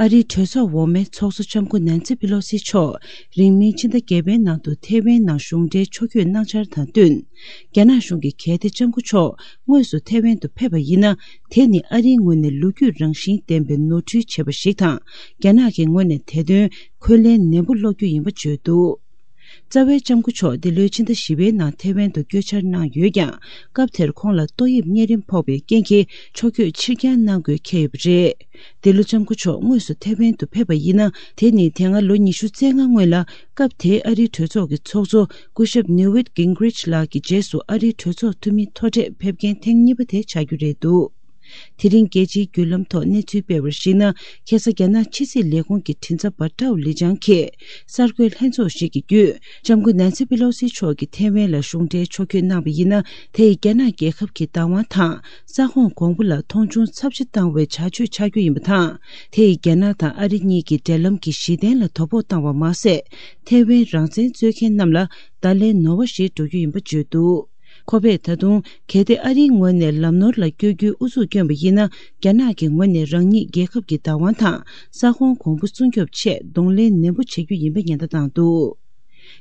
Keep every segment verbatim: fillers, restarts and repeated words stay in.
ཨ་རིའི་གྲོས་ཚོགས་འོག་མའི་ཚོགས་གཙོ་ལྕམ་སྐུ་ནན་སི་པི་ལོ་སི་མཆོག་རིང་མིན་ཕྱི་ཟླ་བརྒྱད་པའི་ནང་དུ་ཐེ་ཝན་ནང་གཞུང་འབྲེལ་ཕྱོགས་བསྐྱོད་གནང་འཆར་དང་བསྟུན། རྒྱ་ནག་གཞུང་གིས་གལ་ཏེ་ལྕམ་སྐུ་མཆོག་དངོས་སུ་ཐེ་ཝན་དུ་ཕེབས་པ་ཡིན་ན། དེ་ནི་ཨ་རིའི་ངོས་ནས་ལོ་རྒྱུས་རང་བཞིན་ལྡན་པའི་ནོར་འཁྲུལ་བྱས་པ་ཞིག་དང་། རྒྱ་ནག་གི་ངོས་ནས་དེ་དོན་འཁོན་ལན་ནན་པོ་སློག་རྒྱུ་ཡིན་པ་བརྗོད་འདུག་རྩ་བའི་ལྕམ་སྐུ་མཆོག་འདི་ལོའི་ཕྱི་ཟླ་བཞི་པའི་ནང་ཐེ་ཝན་དུ་བསྐྱོད་འཆར་གནང་ཡོད་ཀྱང་། སྐབས་དེར་ཁོང་ལ་ཏོག་དབྱིབས་གཉན་རིམས་ཕོག་པའི་རྐྱེན་གྱིས་ཕྱོགས་བསྐྱོད་ཕྱིར་འགྱངས་གནང་དགོས་འཁེལ་ཡོད་པ་རེད། འདི་ལོ་ལྕམ་སྐུ་མཆོག་དངོས་སུ་ཐེ་ཝན་དུ་ཕེབས་པ་ཡིན་ན། དེ་ནི་དེ་སྔ་ལོ་ཉི་ཤུ་རྩ་ལྔ་སྔོན་ལ་སྐབས་དེའི་ཨ་རིའི་གྲོས་ཚོགས་ཀྱི་ཚོགས་གཙོ་སྐུ་ཞབས་ནིའུ་ཝིཊ་གིང་གྷི་རིཆ་ལགས་ཀྱི་རྗེས་སུ་ཨ་རིའི་གྲོས་ཚོགས་འཐུས་མི་མཐོ་གྲས་ཕེབས་མཁན་ཐེངས་གཉིས་པ་དེ་ཆགས་རྒྱུ་རེད་འདུག་དེ་རིང་རྒྱལ་སྤྱིའི་བརྒྱུད་ལམ་ཐོག་གནས་ཚུལ་སྤེལ་བར་གཞིགས་ན། ཁ་སང་རྒྱ་ནག་ཕྱི་སྲིད་ལས་ཁུངས་ཀྱི་མགྲིན་ཚབ་པ་ཀྲའོ་ལི་ཅང་གིས་གསར་འགོད་ལྷན་ཚོགས་ཤིག་གི་བརྒྱུད། ལྕམ་སྐུ་ནན་སི་པི་ལོ་སི་མཆོག་གིས་ཐེ་ཝན་ལ་གཞུང་འབྲེལ་ཕྱོགས་བསྐྱོད་གནང་བ་ཡིན་ན། དེ་ཡིས་རྒྱ་ནག་རྒྱལ་ཁབ་ཀྱི་བདག་དབང་དང་ས་ཁོངས་གོང་བུ་ལ་མཐོང་ཆུང་ཚབས་ཆེ་བཏང་བའི་བྱ་སྤྱོད་ཆགས་རྒྱུ་ཡིན་པ་དང་། དེ་ཡིས་རྒྱ་ནག་དང་ཨ་རི་གཉིས་ཀྱི་འབྲེལ་ལམ་གྱི་གཞི་རྟེན་ལ་དོ་ཕོག་བཏང་བ་མ་ཟད། ཐེ་ཝན་རང་བཙན་རྩོད་མཁན་རྣམས་ལ་བརྡ་ལན་ནོར་བ་ཞིག་འགྲོ་རྒྱུ་ཡིན་པ་བརྗོད་འདུག་ཁོ་པས་ད་དུང་གལ་ཏེ་ཨ་རིའི་ངོས་ནས་ལམ་ནོར་ལ་བསྐྱོད་རྒྱུའི་ཨུ་ཚུགས་བསྐྱོན་པ་ཡིན་ན། རྒྱ་ནག་གི་ངོས་ནས་རང་ཉིད་རྒྱལ་ཁབ་ཀྱི་བདག་དབང་དང་ས་ཁོངས་གོང་བུ་སྲུང་སྐྱོབ་ཆེད་གདོང་ལེན་ནན་པོ་བྱེད་རྒྱུ་ཡིན་པའི་ཉེན་བརྡ་བཏང་འདུག་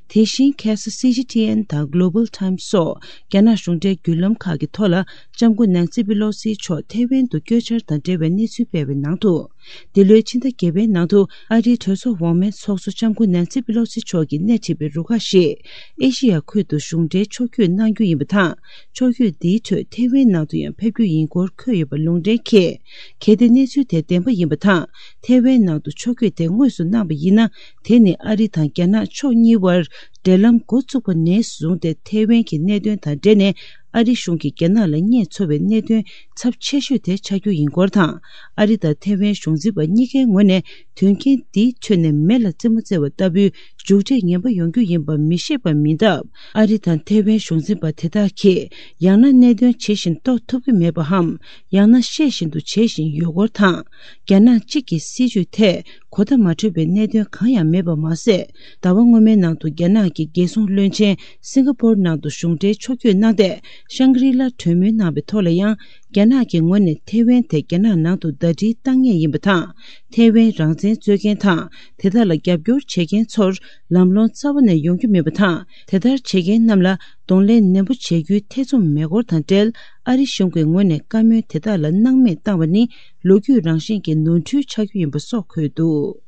དེ་བཞིན་ཁ་སང་སི་ཇི་ཊི་ཨེན་དང་Global Times་སོགས་རྒྱ་ནག་གཞུང་འབྲེལ་བརྒྱུད་ལམ་ཁག་གི་ཐོག་ལ། ལྕམ་སྐུ་ནན་སི་པི་ལོ་སི་མཆོག་ཐེ་ཝན་དུ་བསྐྱོད་འཆར་དང་འབྲེལ་བའི་གནས་ཚུལ་སྤེལ་བའི་ནང་དུ། འདི་ལོའི་ཕྱི་ཟླ་བརྒྱད་པའི་ནང་དུ་ཨ་རིའི་གྲོས་ཚོགས་འོག་མའི་ཚོགས་གཙོ་ལྕམ་སྐུ་ནན་སི་པི་ལོ་སི་མཆོག་གིས་སྣེ་ཁྲིད་པའི་རུ་ཁག་ཞིག་ཨེ་ཤི་ཡ་ཁུལ་དུ་གཞུང་འབྲེལ་ཕྱོགས་བསྐྱོད་གནང་རྒྱུ་ཡིན་པ་དང་། ཕྱོགས་བསྐྱོད་འདིའི་ཁྲོད་ཐེ་ཝན་ནང་དུ་ཡང་ཕེབས་རྒྱུ་ཡིན་སྐོར་འཁོད་ཡོད་པ་ལུང་འདྲེན་གྱིས། གལ་ཏེ་གནས་ཚུལ་དེ་བདེན་པ་ཡིན་པ་དང་། ཐེ་ཝན་ནང་དུ་ཕྱོགས་བསྐྱོད་དེ་དངོས་སུ་གནང་བ་ཡིན་ན། དེ་ནི་ཨ་རི་དང་རྒྱ་ནག་ཕྱོགས་གཉིས་བར་འབྲེལ་ལམ་འགོ་བཙུགས་པ་ནས་བཟུང་སྟེ་ཐེ་ཝན་གྱི་གནད་དོན་དང་འབྲེལ་ནས། ཨ་རི་གཞུང་གིས་རྒྱ་ནག་ལ་རྙེད་ཚོར་བའི་གནད་དོན་ཚབས་ཆེ་ཤོས་དེ་ཆགས་རྒྱུ་ཡིན་སྐོར་དང་། ཨ་རི་དང་ཐེ་ཝན་གཞུང་འཛིན་པ་གཉིས་ཀའི་ངོས་ནས་དོན་རྐྱེན་འདིའི་ཁྲོད་ནས་མེ་ལ་རྩེད་མོ་རྩེ་བ་ལྟ་བུའི་མཇུག་འབྲས་ངན་པ་ཡོང་རྒྱུ་ཡིན་པ་མི་ཤེས་པ་མིན་སྟབས། ཨ་རི་དང་ཐེ་ཝན་གཞུང་འཛིན་པ་དེ་དག་གིས་ཡང་ན་གནད་དོན་ཇི་བཞིན་རྟོགས་ཐུབ་ཀྱི་མེད་པའམ། ཡང་ན་ཤེས་བཞིན་དུ་བྱེད་བཞིན་ཡོད་སྐོར་དང་། རྒྱ་ནག་གཅིག་གི་སྲིད་བྱུས་ཐད་གོ་བརྡ་མ་འཕྲོད་པའི་གནད་དོན་གང་ཡང་མེད་པ་མ་ཟད། ཟླ་བ་སྔོན་མའི་ནང་དུ་རྒྱ་ནག་གི་རྒྱལ་སྲུང་བློན་ཆེན་སིང་ག་པོར་ནང་དུ་གཞུང་འབྲེལ་ཕྱོགས་བསྐྱོད་གནང་སྟེ། ཤང་གྷི་རི་ལ་གྲོས་མོལ་གནང་བའི་ཐོག་ལ་ཡང་། རྒྱ་ནག་གི་ངོས་ནས་ཐེ་ཝན་དེ་རྒྱ་ནག་ནང་དུ་ཟླ་སྒྲིལ་བཏང་ངེས་ཡིན་པ་དང་། ཐེ་ཝན་རང་བཙན་རྩོད་མཁན་དང་། དེ་དག་ལ་རྒྱབ་སྐྱོར་བྱེད་མཁན་ཚོར་ལམ་ལྷོང་རྩ་བ་ནས་ཡོང་རྒྱུ་མེད་པ་དང་། དེ་ལྟར་བྱེད་མཁན་རྣམས་ལ་གདོང་ལེན་ནན་པོ་བྱེད་རྒྱུའི་ཐེ་ཚོམ་མེད་སྐོར་དང་འབྲེལ། ཨ་རི་གཞུང་གི་ངོས་ནས་བཀའ་མོལ་དེ་དག་ལ་སྣང་མེད་བཏང་བ་ནི་ལོ་རྒྱུས་རང་བཞིན་གྱི་ནོར་འཁྲུལ་ཆགས་རྒྱུ་ཡིན་པ་སོགས་འཁོད་འདུག